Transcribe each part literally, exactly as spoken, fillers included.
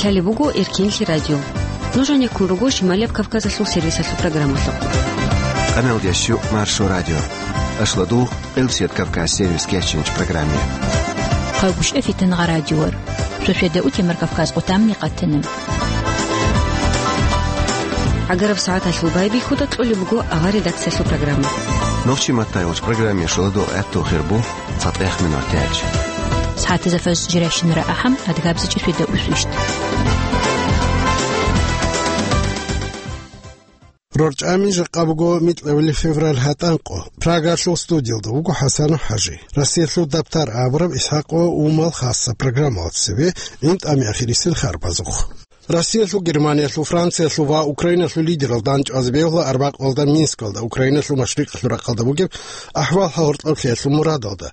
Лъалеб буго Эркенлъи радио. Нуж гьанеккун руго Шималияб Кавказалъул сервисалъул программалъухъ. Къаналдящу Маршо радио. Ашладугъ, Къилсият Кавказ сервис кечинч программе. Хъагушев Фитангъа радиор. Шошеда утемар Кавказ къутамни къатана. ГӀагараб сагӀаталъул байбихьуда кьолеб буго авар редакциялъул программа. Нохчи маттайгъуч программе шоладо гӀатту хирбу. ЦатӀехъ минутач. СагӀатазда фажр жирайщинара ахӀам, адгабзичӀи шведа усвищ. РорчӀами жакъа буго микьабили февраль гьатӀанкъо. Прагалъул студиялда вуго ХӀасанов ХӀажи. Россиялъул дабтар абураб ИсхӀакъо Умал хасса программалда цебе, гӀинтӀами ахирисел харбазухъ. Россиялъул, Германиялъул, Франциялъул ва Украиналъул лидерал дандчӀвазе бегьула арбякьалда Минскалда, Украиналъул машрикъалъул рахъалда бугеб ахӀвал гьоркьоблъиялъул мурадалда.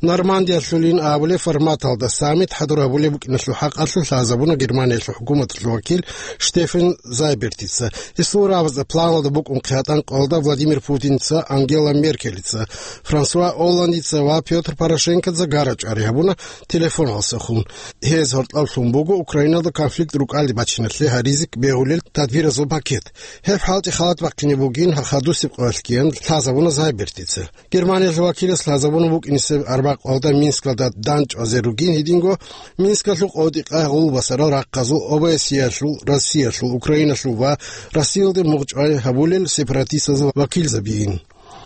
Нормандиялъулин абулеб форматалда саммит хӀадур гьабулеб букӀиналъул хӀакъалъулъ лъазабуна Германиялъул хӀукуматалъул вакил Штефан Зайбертица. Гьесул рагӀабазда планалда букӀун хъятӀан къоялда Владимир Путинца, Ангела Меркелица, Франсуа Олландица ва Пётр Порошенкодза гара-чӀвари гьабуна телефоналдаса хун. Гьез гьоркьоблъун буго Украиналда конфликт рукӀалде бачиналъе гьаризе бегьулел тадбиразул пакет. Гьеб хӀалтӀи халат бахъине бугин хадусеб къоялъ ккеян лъазабуна Зайбертица. Германиялъул вакилас лъазабуна букӀинисеб арбякьалда Минскалда дандчӀвазе ругин гьединго Минскалъул къотӀи-къай гъул басарал рахъазул ОБСЕялъул, Россиялъул, Украиналъул ва Россиялде мугъчӀвай гьабулел сепаратистазул вакилзабиин.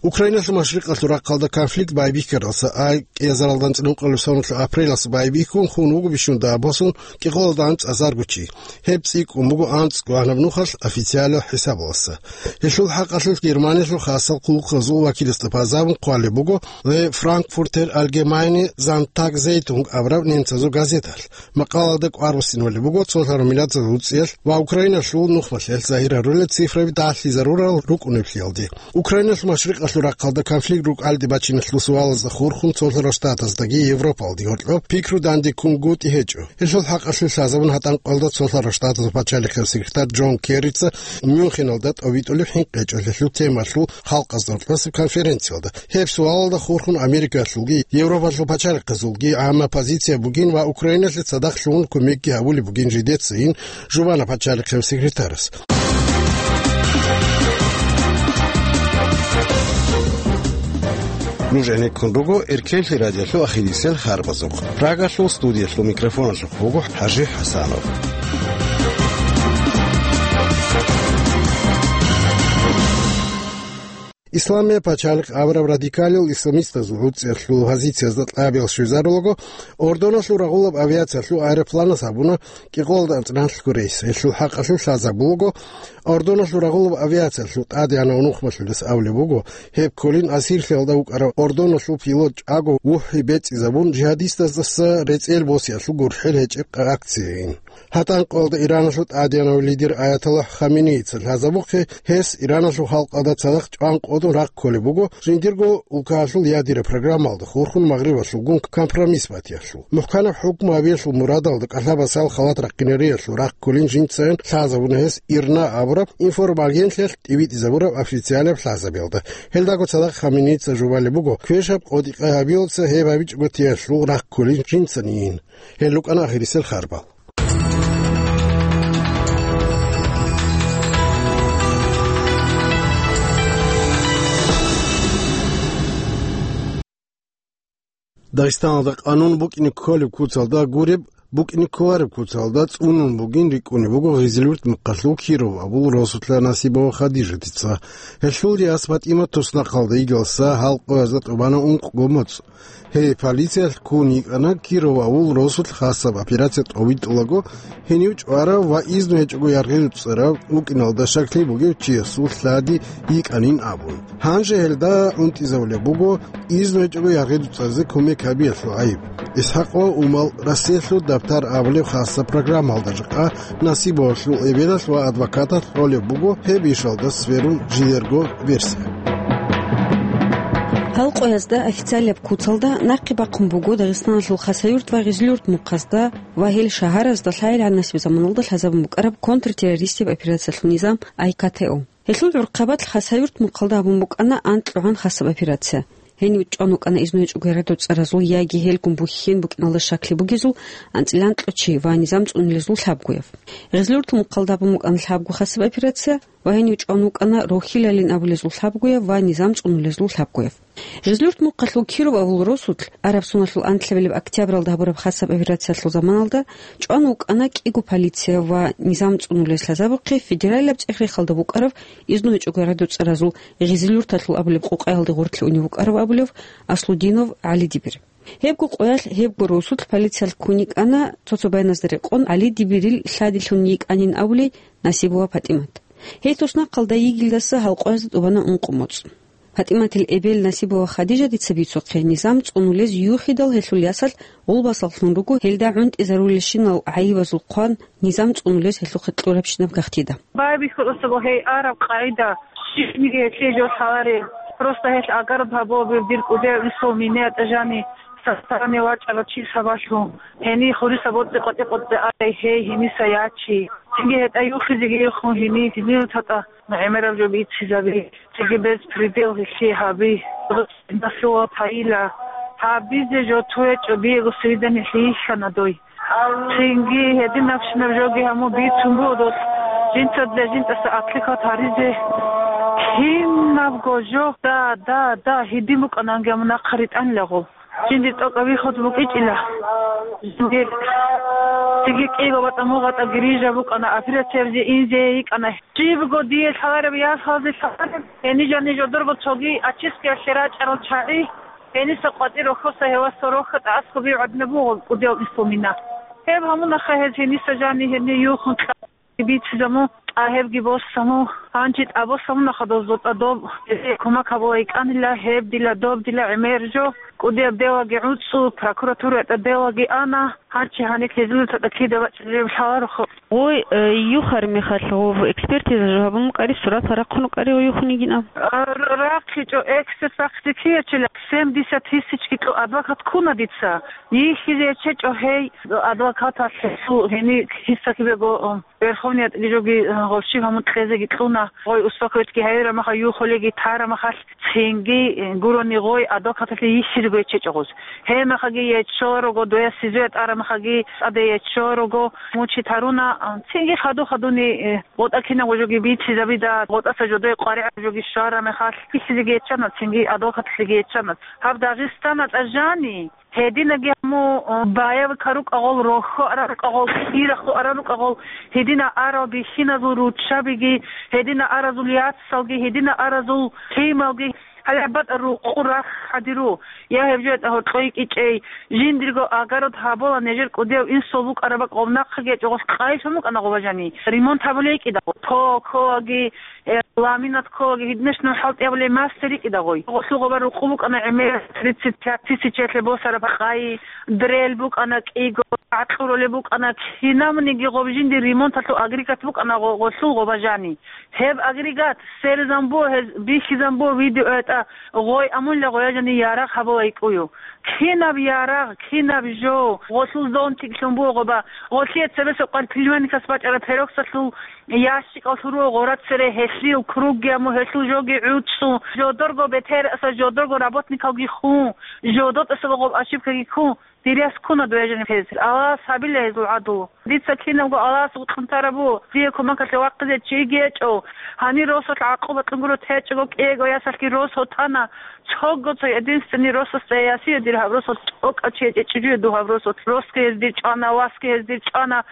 Украиналъул машрикъалъул рахъалда конфликт байбихьаралдаса ай кӀиазаралда анцӀила ункъоялъул соналъул апрелалъ байбихьун хун вуго бищун дагьаб босун кӀикъоялда анцӀазарго чи. Гьеб цӀикӀкӀун буго анцӀго гьанаб нухалъ официалаб хӀисабалдаса. Гьелъул хӀакъалъулъ Германиялъул хасал хъулухъазул вакиласда базарун хъвалеб буго The Frankfurter Allgemeine Sonntagszeitung абураб немцазул газеталъ. Макъалаялда кӀвар буссинабулеб буго цолъарал миллатазул гӀуцӀиялъ ва Украиналъул нухмалъиялъ загьир гьарулел цифраби дагьлъизарурал рукӀунеблъиялде. Украиналъул машрикъалъул рахъалда конфликт рукӀалде бачиналъул суалазда хурхун цолъарал штатаздаги Европалдаги гьоркьоб пикру дандеккунгутӀи гьечӀо. Гьелъул хӀакъалъулъ лъазабун гьатӀан къоялда цолъарал штатазул пачалихъе секретарь Джон Керрица Мюнхеналда тӀобитӀулеб хӀинкъичӀел гьелъул темалъул халкъазда гьоркьосеб конференциялда. Гьеб суалалда хурхун Америкалъулги Европалъул пачалихъазулги гӀамма позиция бугин ва Украиналъе цадахъ лъугьун кумекги гьабулеб бугин жидецайин жубана пачалихъев секретарас. Нуж гӀенеккун руго Эркенлъи радиолъул ахирисел харбазухъ. Прагалъул студиялъул микрофоналъухъ вуго ХӀажи ХӀасанов. Исламияб пачалихъ абураб радикалил исламистазул гӀуцӀиялъул позициязда кьабиял щвезарулаго, Ордоналъул рагъулаб авиациялъул аэропланас гьабуна кӀикъоялда анцӀила гьанлъго рейс. Гьелъул хӀакъалъулъ лъазабулаго, Ордоналъул рагъулаб авиациялъул тӀадегӀанав нухмалъулес абулеб буго, гьеб кколин асирлъиялда вукӀарав Ордоналъул пилот чӀаго вухӀи бецӀизабун, жигьадистаздаса рецӀел босиялъул гурхӀел гьечӀеб акцияйин. ГьатӀан къоялда Ираналъул тӀадегӀанав лидер Аятоллагь Хаменеица лъазабухъе, гьес Ираналъул халкъалда цадахъ чӀван къотӀун рахъ кколеб буго, жиндирго улкаялъул ядераб программалда хурхун Магърибалъулгун компромисс батиялъул. МухӀканаб хӀукму гьабиялъул мурадалда кӀалъабасал халат рахъинариялъул рахъ кколин жинцайин лъазабуна гьес ИРНА абураб информагенталъ тӀибитӀизабураб официалаб лъазабиялда. Гьелдаго цадахъ Хаменеица жубалеб буго, квешаб къотӀи-къай гьабиялдаса гьеб гьабичӀого теялъул рахъ кколин жинцайин. Гьел рукӀана ахирисел харбал. Дагъистаналда къанун букӀине кколеб куцалда гуреб, букӀине кколареб куцалда цӀунун бугин рикӀкӀунеб буго Гъизилюрт мухъалъул Киров абул росулъа Насибова Хадижатица. Гьелъул яс ПатӀимат туснахъалда йигалса гьал къоязда тӀубана ункъго моцӀ. Гьей, полициялъ ккун йикӀана Киров авул росулъ хасаб операция тӀовитӀулаго, гьенив чӀварав ва изну гьечӀого яргъи-дуцӀарав вукӀиналда щаклъи бугев чиясул лъади йикӀанин абун. Гьанже гьелда унтӀизавулеб буго изну гьечӀого яргъи-дуцӀаризе кумек гьабиялъул гӀайиб. ИсхӀакъ ва Умал Россиялъул дабтар абулеб хасаб программалда жакъа Насибовалъул эбелалъ ва адвокаталъ кьолеб буго гьеб ишалда сверун жидерго версия. Гьал къоязда официалаб куцалда нахъе бахъун буго Дагъистаналъул Хасавюрт ва Гъизлюрт мухъазда ва гьел шагьаразда лъайилгӀан насиб заманалда лъазабун букӀараб контртеррористияб операциялъул низам, АйКТО. Гьелъул гӀурхъабалъ Хасавюрт мухъалда гьабун букӀана анкьгӀан хасаб операция. Гьенив чӀван вукӀана изну гьечӀого гӀарац цӀаразул яги гьелгун бухьен букӀиналда щаклъи бугезул анцӀила анкьго чи ва низам цӀунулезул лъабгояв. Гъизлуртун мухъалда гьабун букӀана лъабго хасаб операция ва гьенив чӀван вукӀана рохьилалин абулезул лъабгояв ва низам цӀунулезул лъабгояв. Гъизлурт мухъалъул Киров авул росулъ араб соналъул анлъабилеб октябралда гьабураб хасаб операциялъул заманалда чӀван вукӀана кӀиго полиция ва низам цӀунулез лъазабухъе федералияб цӀех-рехалда букӀарав изну гьечӀого гӀарац цӀаразул Гъизлурталъул абулеб къукъаялде гъорлъе унев вукӀарав абулев Аслудинов ГӀалидибир. Гьебго къоялъ, гьебго росулъ полициялъ ккун йикӀана, цо-цо байназда рекъон ГӀалидибирил лъадилъун йикӀанин абулей Насибова ПатӀимат. Гьей туснахъалда йигелдаса гьал къоязда тӀубана ункъо моцӀ. ПатӀиматил эбел Насибова Хадижатица бицухъе, низам цӀунулез юхидал гьелъул ясалъ гъулбасаллъун руго, гьелда гӀунтӀизарулелщинал гӀайибазул хъван низам цӀунулез гьелъухъе кьурабщинаб гахтида. Байбихьуласаго гьей араб къагӀида, щибниги гьелъие жо лъаларел. Просто гьелъ агараб гьабуабив дир кӀудияв Исул миниятӀа жани, сасарани вачӀарав чи сабаблъун. Гьенир хурисаб боцӀи къотӀи-къотӀи арай гьей гьениса ячи. Цинги гьетӀа юхизеги юхун гьенир, гьенир татӀа гӀемераб жо бицизаби. Цинги бецпредел гьелъие гьаби. Насула пайила. Гьабизе жо туечӀо, диего свидание лъийищана дой. Цинги гьединабщинаб жоги гьаму бицун буго долъ, жинца для жинцаса атлихъат гьаризе. Кинабго жо, да, да, да, гьедин букӀананги гьаму нахъа ритӀанилаго. Жинди тӀокӀаб вихьулъ букӀичӀила. Жинди. Цинги кӀиго батӀа мугъатӀа грижа букӀана, операциябизе инзе йикӀана. Жибго дие лъалареб ясалде лъалареб, гьенижани жодорго цоги ачискиялъе рачӀарал чагӀи, гьениса къватӀир рохьоса гьевасал рохьа тӀасго бигӀадна буго кӀудияв Ислумина. Гьеб гьамунаха гьез гьениса жани гьебни юхун кьа-, бицизаму, тӀа гьебги босаму, гьанчи тӀа босамунаха дозда тӀа доб, гьезие кумак гьабула йикӀанила, гьеб дила, доб дила гӀемер жо, кӀудияб деваги гӀуцӀу, прокуратураятӀа деваги ана, гьанчи гьаниб гьезул татӀа кида бачӀараб лъаларухъ. Гъой, э, юхар мехалъ гъов экспертиза жо гьабун букӀари, сурат рахъун букӀари ва юхун йигинаб? А, р-, рахъичӀо, эксперт рахъизе кияв чила, семьдесят тысячги кьо-, адвокат ккуна дица. Йихьизе ячейчӀо гьей, адвокаталъ гьесул гьени кисакибего, м, Верховниятги жоги, м, гъов щиб гьамун кьезеги кьуна. Гъой успокойтги гьайра маха, юхулеги тара махалъ. Цинги, э, гурони гъой адвокаталъе йихьизего ячейчӀо гъоз. Гьемахаги яччо руго, дояс сизуя тӀарамахаги тӀаде яччо руго, мучить гьаруна, а, цинги хаду-хадуни, э, гъотӀа кинабго жоги бицизабида, гъотӀаса жодое къваригӀаб жоги щварамехалъ, йихьизеги яччана, цинги адвокаталъеги яччана. Гьаб Дагъистаналда жани, гьединаги гьаму, э, баявикал рукӀагъул, рохьо арал рукӀагъул, кӀирахъо арал рукӀагъул, гьедина арал бихьиназул руччабиги, гьедина аразул яцалги, гьедина аразул лъималги, гьале батӀа рукъу рахъ гьадиру, я гьеб жо ятӀа гьоркьой кӀичӀей, жиндирго огород гьабула нижер кӀудияв инсул букӀараб бакӀ гъов нахъаги ячӀо гъос къайилъун букӀана гъоба жани. Ремонт гьабулей кӀидагъо. Токоги, э, ламинат кколаги гьидинаш ну хӀалтӀи абулей мастер рикӀидагъой. Гъолъул гъоба рукъу букӀана гӀемер тридцать пять тысячалъе босараб къайи, дрель букӀана кӀиго, гӀакълу ролеб букӀана, кинабниги гъоб жинди ремонталъул агрегат букӀана гъо-, гъолъул гъоба жани. Гьеб агрегат, сверизан буго гьез, бихьизан буго видеоятӀа, гъой амулла гъоя жани ярагъ гьабула йикӀую. Кинаб ярагъ, кинаб жо, гъолъул зонтиклъун буго гъоба, гъолъие цебесеб къварилъ племянникас бачӀараб пероксалъул ящикалъул руго гъора цере гьелъил кругги аму гьелъул жоги гӀуцӀу, жодорго бетер аса жодорго работникалги хун, жодор тӀаса гъоб ошибкаги ккун, дир яс ккуна дуе жаниб гьез. Аллагьас гьабила гьезул гӀадлу. Дица кинабго Аллагьас вукьун тарабу, дие кумакалъе вахъизе чиги гьечӀо. Гьанир росулъ гӀакъуба кьунгуро течӀого кӀиего ясалъги рос гьотана. Цого цо единственный росасда ясие дир гьаб росулъ тӀокӀав чи гьечӀичӀо дугьаб росулъ. Росги гьез дир чӀвана, васги гьез дир чӀвана.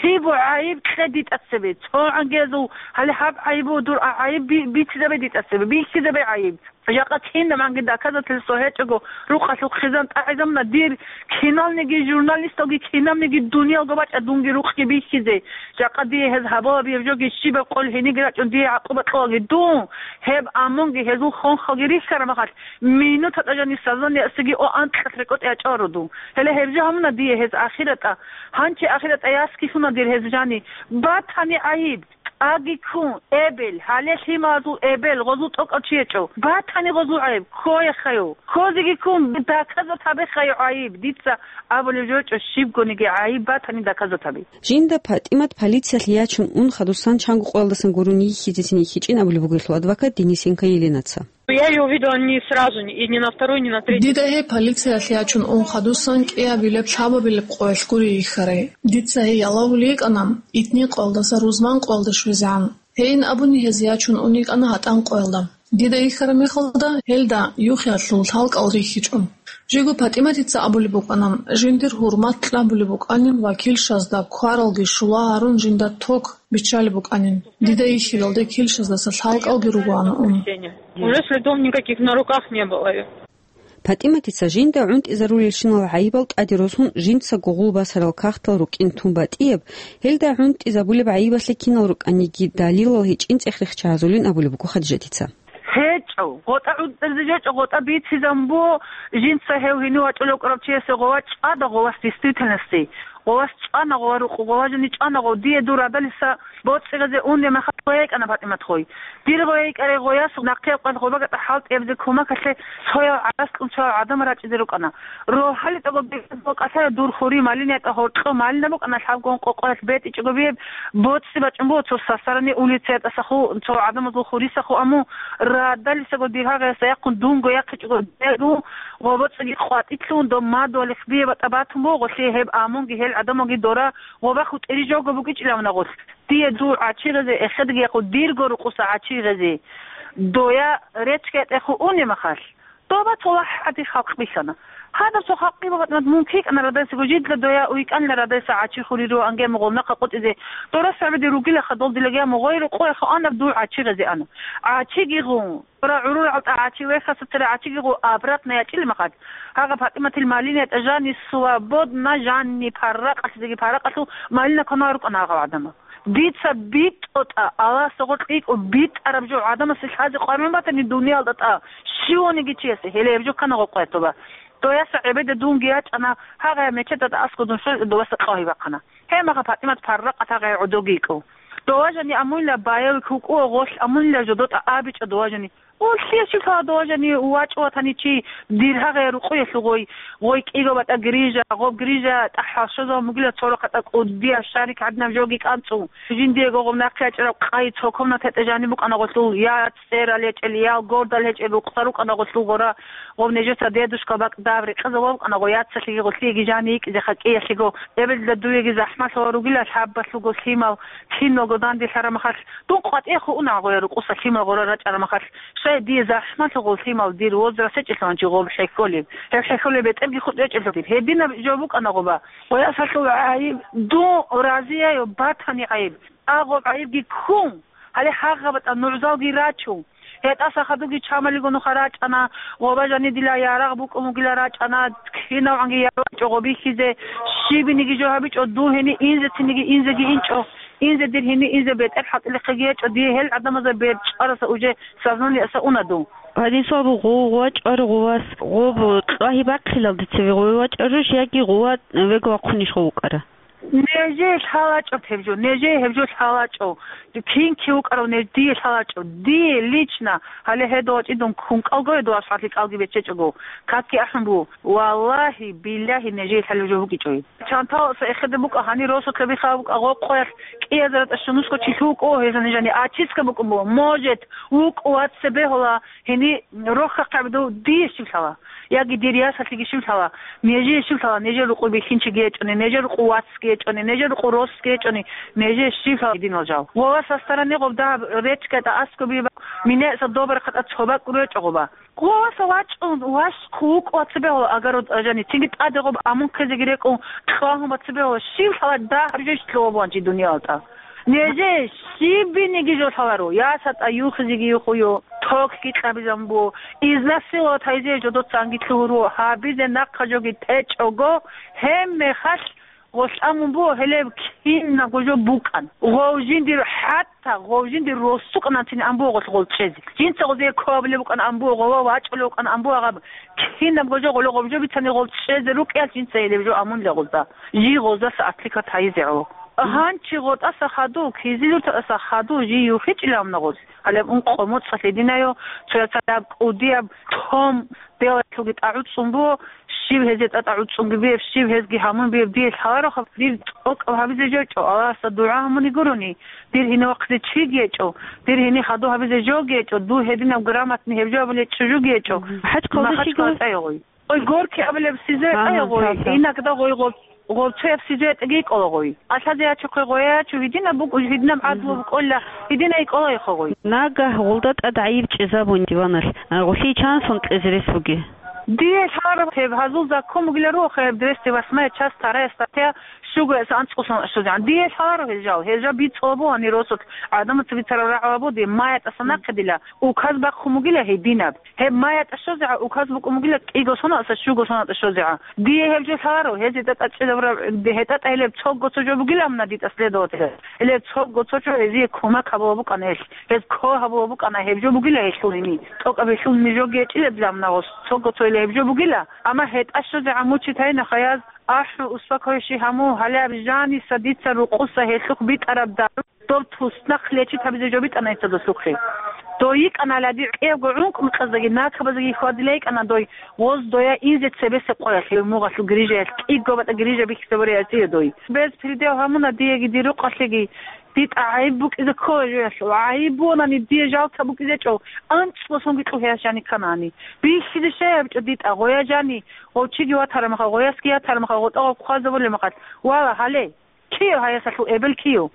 Кибу гӀайиб кье дитӀа цебе? Цо гӀангезул, гьале гьаб гӀайибу дур а гӀайиб би-, бицизабе дитӀа цебе, бихьизабе гӀайиб. Жакъа кинаб гӀанги доказательство гьечӀого, рукъалъул хъизан тӀагӀизамуна дир, киналниги журналисталги, кинабниги дуниялго бачӀа дунги рукъги бихьизе. Жакъа дие гьез гьабула бияб жоги щибаб къол гьениги рачӀун дие гӀакъуба кьолаги дун, гьеб амунги гьезул хонхалги рихьараб махалъ, минутатӀа жани сознание асиги о анкьалъ рекӀотӀи ячӀаро дун. Гьеле гьеб жо гьамуна дие гьез ахиратӀа. Гьанчи ахиратӀа яскилъуна дир гьез жани. Батани гӀайиб. ТӀаги ккун, эбел, гьале лъималазул эбел, гъозул тӀокӀав чи гьечӀо. Батани гъозул гӀайиб, ккоехайо. Ккозеги ккун, доказать гьабехайо гӀайиб. Дица абулеб жо гьечӀо, щибгониги гӀайиб батани доказать гьабе. Жинда ПатӀимат полициялъ ячун ун хадусан чанго къоялдасан гурун йихьизесин йихьичӀин абулеб буго гьелъул адвокат Денисенко Еленаца. Я её увидела не сразу, и не на второй, не на третий. Дида гьей полициялъе ячун ун хадусан кӀиабилеб-лъабабилеб къоялъ гури йихьарай. Дица гьей ялавулей йикӀана, итни къоялдаса рузман къоялда щвезегӀан. Гьейин абуни гьез ячун ун йикӀана гьатӀан къоялда. Дида йихьараб мехалда гьелда юхиялъул лъалкӀал рихьичӀо. Жиго ПатӀиматица абулеб букӀана, жиндир гьурмат кьабулеб букӀанин ва килщазда кваралги щула гьарун жинда ток биччалеб букӀанин. Дида йихьилалде килщаздаса лъалкӀалги ругоана ун. Уже следов никаких на руках не было. ПатӀиматица жинда гӀунтӀизарулелщинал гӀайибал тӀаде росун жинцаго гъул басарал кагътал рукӀин тун батӀияб, гьелда гӀунтӀизабулеб гӀайибалъе кинал рукӀаниги далилал гьечӀин цӀех рехча гьазулин абулеб буго Хадижатица. ГьечӀо, гъотӀа гӀунтӀизе жечӀо, гъотӀа бицизан бу, жинца гьев гьенив вачӀулев вукӀарав чиясе гъова чӀвада гъовас действительности. Гъовас чӀвана гъова рукъу, гъова жани чӀвана гъов, дие дур радалиса боцӀи гъезе унде мехалъ гъоя йикӀана ПатӀимат гъой. Дир гъоя йикӀарай гъояс нахъе къван гъобагатӀа хӀалтӀиябзе кумакалъе цояв гӀараскьун цояв гӀадамал рачӀизе рукӀана. РогьалитӀаго бекӀ бокӀалъая дур хури малинятӀа гьоркьо малина букӀана лъабгун къокъоялъ бетӀичӀого биеб боцӀи бачӀун буго цо сасарани улицаятӀасаху, цо гӀадамазул хурисаху аму, радалисаго дир гьагъаясда яхъун дунго яхъичӀого бегу, ва боцӀиги къватӀилъун доб мадуалихъ бие батӀа батун буго гъолъие гьеб амунги гьел гӀадамалги дора, ва бахутӀири жого букӀичӀилавна гъолъ. Дие дур гӀачи гъезе эхедги яхъу дирго рукъуса гӀачи гъезе. Доя речкетӀеху уни махалъ. Доба цо вахӀади халкъ бихьана. Гьадаб цо халкъи бабатӀнад мун кикӀана радайсаго жидла доя уйкӀанила радайса гӀачи хуриро ангемугъул нахъа къутӀизе. Дора сагӀбиди ругила хадол дилагия мугъойру къояха анаб дур гӀачи гъезе ана. ГӀачиги гъун. Дора гӀурул гӀалтӀа гӀачи вехаса цера гӀачиги гъу обратно ячӀили махад. Гьагъа ПатӀиматил малинетӀа жани свободна жанни парракъалъизеги парракъалъу малина кванал рукӀана гьагъав гӀадамал. Дица битӀотӀа, Аллагьасда гъоркь икӀо битӀараб жо гӀадамасе лъазе къваригӀун батани дуниялда тӀа, щивниги чиясе, гьеле гьеб жо ккана гъокъоятуба. Дояса гӀебеда дунги ячӀана, гьагъая мечетада аскӀо дун щвеза доваса къагьи бахъана. Гьемаха ПатӀимат парракъат гьагъая гӀодоги йикӀо. Доважани амунила баяв кукӀуа гъолъ амунила жодотӀа абичӀо доважани. Уллъиялъул доважани вачӀу ватани чи дир гьагъая рукъуялъугъой, гъой кӀиго батӀа грижа, гъоб грижа тӀахӀал щвезал мугила цо рахъатӀа кӀудияб шарик гӀадинаб жоги кӀанцӀу. Жиндиего гъоб нахъе ячӀараб къай цо комнатаятӀа жаниб букӀана гъолъул, я цӀерал гьечӀел, я гордал гьечӀел рукъса рукӀана гъолъул гъора, гъоб нежеца дедушка бакӀ даб рекъезаб букӀана гъо яцалъиги гъолъиеги жани йикӀизе хакӀиялъего, эбелда дуеги захӀмалъула ругила лъабалъуго лъимал, киналго данделъараб махалъ, дун къватӀеху уна гъоя рукъуса лъимал гъора рачӀараб махалъ, щай дие захӀмалъуго лъимал дир возраст гьечӀелъуланчи гъоб хӀехьолеб. Гьеб хӀехьолеб бетӀерги хутӀ гьечӀелъултир. Гьединаб жо букӀана гъоба. Къоясалъул гӀайиб дун разияю батани гӀайиб. Агъоб гӀайибги ккун, гьале гьагъабатӀа нугӀзалги рачун. ГьетӀаса хадуги чамалиго нуха рачӀана, гъоба жани дила ярагъ букӀун вугила рачӀана, кинавгӀанги ярагъ чӀого бихьизе, щибиниги жо гьабичӀо, дун гьени инзецинеги инзеги инчӀо, инзе дир гьени инзе бетӀер хӀалтӀилихъеги гьечӀо, дие гьел гӀадамазда бер чӀараса уже сазнаниеса уна дун. Гьадин суал буго, гъов вачӀару гъувас гъоб къагьи бахъилалде цеве гъов вачӀаруш яги гъува вего вахъунищ гъов вукӀара? Нежее лъалачӀо гьеб жо, нежее гьеб жо лъалачӀо. Кин кив вукӀарав неж дие лъалачӀо. Дие лично гьале гьедо вачӀидун ккун кӀалго гьедо асхӀалъи кӀалги беччечӀого, какги ахӀун буго. Валлагьи, биллагьи, нежее лъалев жо вукӀичӀой. Чанталаса эхеде букӀа, гьанир росулъа бихъа букӀа, гъокъоялъ кӀияза ратӀа щунусго чи лъукӀо, гьезани жани ачиска букӀун буго. Может, вукӀу вацебе гьола, гьени рохьахъеб дов дие щив лъала? Яги дир ясалъиги щив лъала? Нежее щив лъала? Нежер рукъу бихьинчиги гьечӀони, нежер рукъу вацги гьечӀони, нежер рукъу росги гьечӀони, нежее щив лъала динал жал? Ва ва састарани гъоб дагьаб речкӀа тӀа аскӀоби, мине са добрахъа тӀа цо бакӀ речӀо гъоба. Гъоваса вачӀун, ваш хъулукъ вацебегьула агару тӀажани, цинги тӀаде гъоб амун ккезеги рекӀун, кьвагьун бацебегьула, щив лъала дагь гьаржешлъугьа бугьанчи дуниялда. Неже щибиниги жо лъаларо, ясатӀа юхизеги юхую, токги кьабизан бу, изнасиловать гьайзе жодоцанги лъугьуро, гьабизе нахъа жоги течӀого, гьеб мехалъ гъолъ амун буго, гьелеб кинабго жо букӀан. Гъов жиндир хӀатта, гъов жиндир росукъананцин ан буго гъолъ гъол чӀезе. Жинца гъозие ккоабилеб букӀан ан буго, гъова вачӀулев вукӀан ан буго гъаб. Кинабго жо гъоло гъоб жо бицани гъол чӀезе рукӀиялъ жинца гьелеб жо амунила гъозда. Жий гъозда сагӀатлъи катайизе гӀо. Гьанчи гъотӀаса хадув, кизилуртаса хадув жий юхичӀилавна гъолъ. Гьалеб ункъо моцӀалъ гьединайо, цояцалаб кӀудияб том делалъуги тӀагӀуцӀцӀун буго, щиб гьезие тӀатӀа гӀуцӀцӀунги бияб, щиб гьезги гьамун бияб дие лъалароха, дир тӀокӀаб гьабизе жо гьечӀо, Аллагьасда дугӀа гьамун йигурони, дир гьенив вахъизе чиги гьечӀо, дир гьенив хадув гьабизе жоги гьечӀо, дур гьединаб грамотный гьеб жо абулей чӀужуги гьечӀо. Мгм. ХӀач хъалда Махач щиго? КалтӀа гьогъой. Гъой горки абулеб сизре Ага, тӀайгъой, цо-цо. Инагда гъой гъоб-, гъобцояб сизре тӀаги кӀолагъой. Алъазе ячухъе гъоя ячу, гьединаб букӀу, гьединаб гӀадлу Мгм. букӀола, гьединай кӀолайха гъой. Нагагь гъулда тӀад гӀайиб чӀезабун диваналъ, а, гъулъи чансон кьезе рес буги? Дие лъаларо гьеб гьазул закон бугила руго, гьеб двести восьмая часть, вторая статья, щуго эс анцӀго сон щозегӀан. Дие лъаларо гьел жал, гьел жал бицӀулаб бугьани росулъ гӀадамаца бицараб рагӀулаб буди, маятӀаса нахъе дила, указ бахъун бугила гьединаб. Гьеб маятӀа щозегӀан указ букӀун бугила кӀиго соналъа щуго соналда щозегӀан. Дие гьеб жо лъаларо, гьезие тӀатӀа чӀезабураб, гьетӀатӀа гьелеб цого цо жо бугилан на дитӀа следователь. Гьелеб цого цо жо гьезие кумак гьабула букӀана гьелъ. Гьез кко гьабула букӀана гьеб жо бугила гьелъул гьини. ТӀокӀаб гьелъул нижоги гьечӀила дилан на гъос. Цого цо гьеле гьеб жо бугила. Амма гьетӀа щозегӀан мучить гьайна хаяз, ахӀу, успокойщи гьаму, гьале аб жаниса дица рукъуса гьелъухъ битӀараб дару. Доб туснахъ лечит гьабизе жо битӀана гьесда досухъе. Дой йикӀана лади кӀиябго гӀункӀнукьаздаги накабаздаги хьвадила йикӀана дой, гъоз доя инзе цебесеб къоялъ, гьев мугъалъул грижаялъ, кӀиго батӀа грижа бихьизабуре гьасие дой. Без предел гьамуна диеги дир рукъалъеги, дитӀа гӀайиб букӀизе ккола жоялъул. ГӀайиб бугьанани дие жалта букӀизечӀо, анцӀго сонги кьу гьеяс жани кканани. Бихьизе щай гьабичӀо дитӀа, гъоя жани, гъов чиги ватарамаха, гъоясги ятарамаха, гъотӀа гъов хъвазабулемахалъ. Вала, гьале. Киев гьаясалъул эбел киев?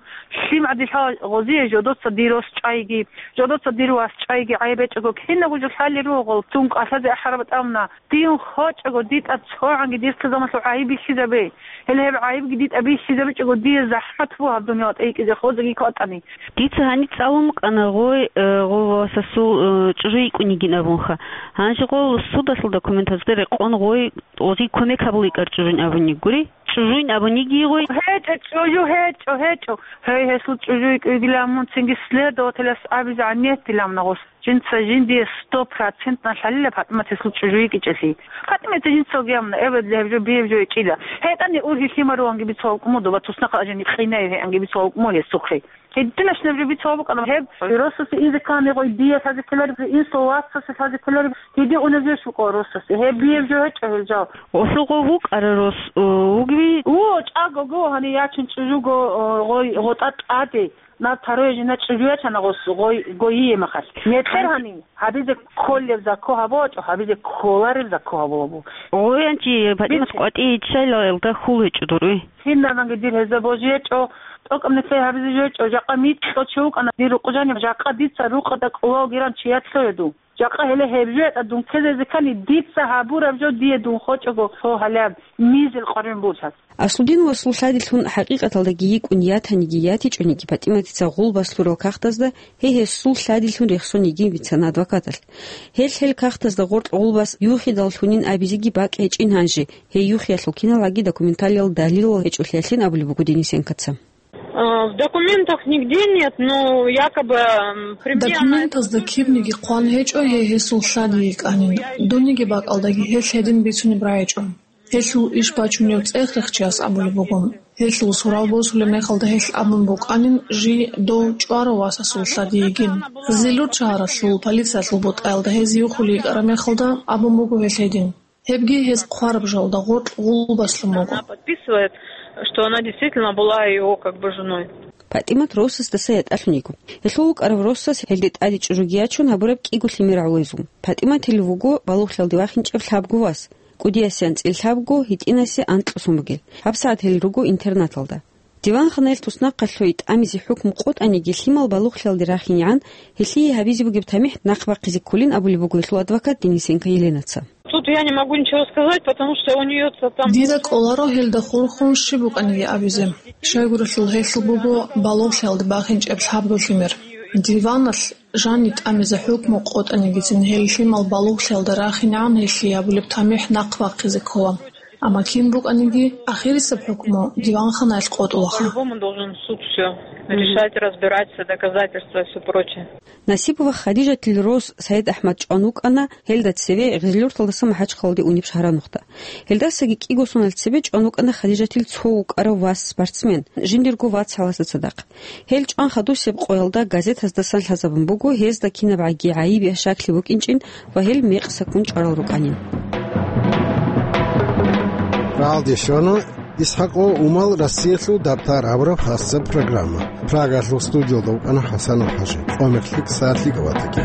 ЛъимгӀадилъа гъозие жодоца дир рос чӀайги, жодоца дир вас чӀайги гӀайб гьечӀого, кинабго жо лъалел руго, цун кӀалъазе ахӀараб тӀамуна. Дин хочӀого, дитӀа цогӀанги дир цо замалъул гӀайиб бихьизабе. Гьеле гьеб гӀайибги дитӀа бихьизабичӀого, дие захӀмат буго гьаб дуниял тӀейкӀизе хозаги кватӀани. Дица гьаниб цӀалун букӀана гъой, э, гъов васасул, э, чӀужу йикӀун йигин абунха. Гьанже гъол судалъул документазда рекъон гъой гъозие кумек гьабул йикӀар чӀужуйн абун йигури? ЧӀужуйн абун йигийгъой? ГьечӀо, чӀужу гьечӀо, гьечӀо. Гьей, гьелъул чӀужу йикӀуйгилан мун цинги следователяс абизе гӀаннетилан гъос. Жинца жиндие сто процентно лъалила ПатӀимат гьелъул чӀужу йикӀичӀелъи. ПатӀимат жинцалги абуна, эбедли гьеб жо, биеб жо гьечӀила. ГьетӀани ургьи лъимаруанги бицун вукӀун буго, ва туснахъа ажани къинай гьеанги бицун вукӀун гьесухъе. Гьединашнаб жо бицун букӀана гьеб, росасе инзе ккани гъой дие лъазе ккелареб, инсул васасе лъазе ккелареб, гьедин унеб жо щукӀо росасе. Гьеб биеб жо гьечӀо гьел жал. Гъосул гъов вукӀара рос, э, вугеви? Во, чӀаго го, гьанив ячун чӀужуго, э, гъой, гъотӀа тӀаде. Наб таруе жина чӀужу ячана гъос гъой, гойие махалъ. Нетер гьанив, гьабизе кколеб зако гьабуачӀо, гьабизе кколареб зако гьабуабу. Гъоянчи ПатӀимат къватӀи ччайилалда хьул гьечӀо дур, уй. Кинабанги дир гьезда божи гьечӀо, тӀокӀаб нилъее гьабизе жо гьечӀо, жакъа микьго чи вукӀана дир рукъу жаниб, жакъа дица рукъада кӀулалгиран чиятлъуе ду. Жакъа гьеле гьеб жо гьетӀа дун ккезезе ккани, дица гьабураб жо дие дун хочӀого, гьо, гьалаб, мизел къваригӀун бугьлъат. Аслудин васул лъадилъун хӀакъикъаталдаги йикӀун ятаниги ятичӀониги, ПатӀиматица гъулбас лъурал кагътазда гьей гьесул лъадилъун рехсон йигин бицана адвокаталъ. Гьел гьел кагътазда гъоркь гъулбас юхидаллъунин абизеги бакӀ гьечӀин гьанже, гьей юхиялъул киналгӀаги документалиял далилал гьечӀолъиялъин абулеб буго Денисенкоца. Э, в документах нигде нет, но якобы, м, при мне она... Документазда кибниги хъван гьечӀо гьей гьесул лъади йикӀанин. Дуниги бакӀалдаги гьелъ гьедин бицунеб рагӀичӀо. Гьелъул иш бачунев цӀех-рехчияс абулеб буго. Гьелъул сурал босулеб мехалда гьелъ абун букӀанин жий дов чӀварав васасул лъади йигин. Зилур шагьаралъул полициялъул бутӀаялда гьез юхулей йикӀараб мехалда абун буго гьелъ гьедин. Гьебги гьез хъвараб жалда гъоркь гъулбаслъун буго. Она подписывает, что она действительно была его как бы женой. ПатӀимат росасдаса ятӀалъун йиго. Гьелъул вукӀарав росас гьелде тӀаде чӀужуги ячун гьабураб кӀиго лъимер гӀолезул. ПатӀиматил вуго балугълъиялде вахинчӀеб лъабго вас. КӀудиясе анцӀила лъабго, гьитӀинасе анкьго сон бугел. ГьабсагӀат гьел руго интернаталда. Диванханаялъ туснахъалъуй тӀамизе хӀукму къотӀаниги, лъимал балугълъиялде рахинегӀан, гьелъие гьабизе бугеб тамихӀ нахъ бахъизе кколин абулеб буго гьелъул адвокат Денисенко Еленаца. Тут я не могу ничего сказать, потому что у неё там... Дида кӀоларо гьелда хурхун щиб букӀаниги абизе. Щайгурелъул гьелъул буго балугълъиялде бахинчӀеб лъабго лъимер. Диваналъ жаниб тӀамизе хӀукму къотӀанигицин гьел лъимал балугълъиялда рахинегӀан гьелъие гьабулеб тамихӀ нахъ бахъизе ккола. Амма кин букӀаниги, ахирисеб хӀукму диванханаялъ къотӀулаха. По-любому должен суд всё решать, разбирать все доказательства и всё прочее. Насибова Хадижатил рос СаидахӀмад чӀван вукӀана гьелда цеве Гъизлюрталдаса МахӀачхъалалде унеб шагьранухъда. Гьелдасаги кӀиго сонал цебе чӀван вукӀана Хадижатил цо вукӀарав вас спортсмен, жиндирго вацгӀаласда цадахъ. Гьел чӀван хадусеб къоялда газетаздасан лъазабун буго гьезда кинабгӀаги гӀайиб я щаклъи букӀинчӀин ва гьел мекъсаккун чӀварал рукӀанин. Гьалде щвана «ИсхӀакъ ва Умал Россиялъул дабтар» абураб хасаб программа. Прагалъул студиялда вукӀана ХӀасанов ХӀажи. Къомерлъи ксалъи гаватаги.